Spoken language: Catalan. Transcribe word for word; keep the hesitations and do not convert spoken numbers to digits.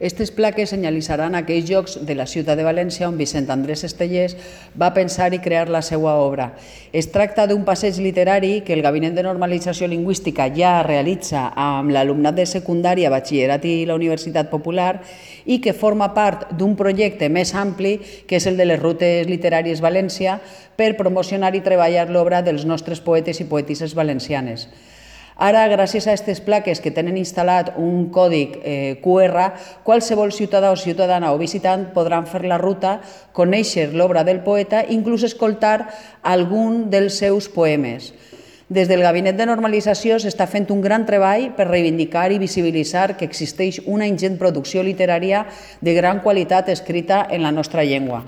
Aquestes plaques senyalitzaran aquells llocs de la ciutat de València on Vicent Andrés Estellés va pensar i crear la seva obra. Es tracta d'un passeig literari que el Gabinet de Normalització Lingüística ja realitza amb l'alumnat de secundària, batxillerat i la Universitat Popular i que forma part d'un projecte més ampli que és el de les rutes literàries València per promocionar i treballar l'obra dels nostres poetes i poetisses valencianes. Ara, gràcies a aquestes plaques que tenen instal·lat un còdic Q R, qualsevol ciutadà o ciutadana o visitant podran fer la ruta, conèixer l'obra del poeta i inclús escoltar algun dels seus poemes. Des del Gabinet de Normalització s'està fent un gran treball per reivindicar i visibilitzar que existeix una ingent producció literària de gran qualitat escrita en la nostra llengua.